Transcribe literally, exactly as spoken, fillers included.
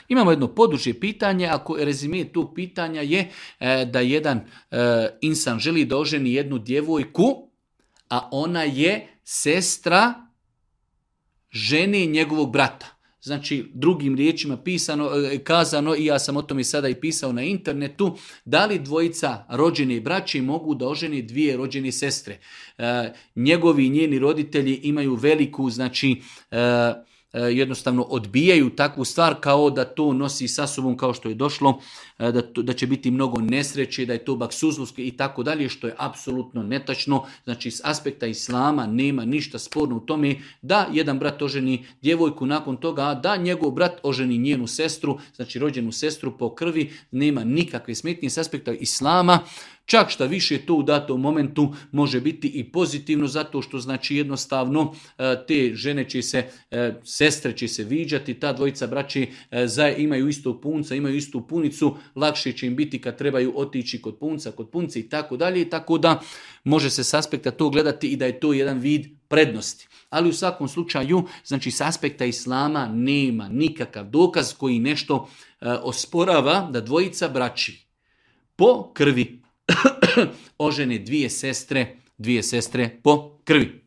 Imamo jedno poduže pitanje, ako rezime tu pitanja je e, da jedan e, insan želi da oženi jednu djevojku, a ona je sestra žene njegovog brata. Znači, drugim riječima pisano, kazano, i ja sam o tome sada i pisao na internetu, da li dvojica rođene braće mogu da oženi dvije rođene sestre. E, njegovi i njeni roditelji imaju veliku, znači, e, jednostavno odbijaju takvu stvar kao da to nosi sa sobom, kao što je došlo, da, to, da će biti mnogo nesreće, da je to baksuzlovski i tako dalje, što je apsolutno netačno. Znači, s aspekta islama nema ništa sporno u tome da jedan brat oženi djevojku, nakon toga da njegov brat oženi njenu sestru, znači rođenu sestru po krvi, nema nikakve smetnje s aspekta islama. Čak šta više to u datom momentu može biti i pozitivno, zato što znači jednostavno te žene će se, sestre će se viđati, ta dvojica braće imaju istog punca, imaju istu punicu, lakše će im biti kad trebaju otići kod punca, kod punce i tako dalje, tako da može se s aspekta to gledati i da je to jedan vid prednosti. Ali u svakom slučaju, znači s aspekta islama nema nikakav dokaz koji nešto osporava da dvojica braći po krvi ožene dvije sestre, dvije sestre po krvi.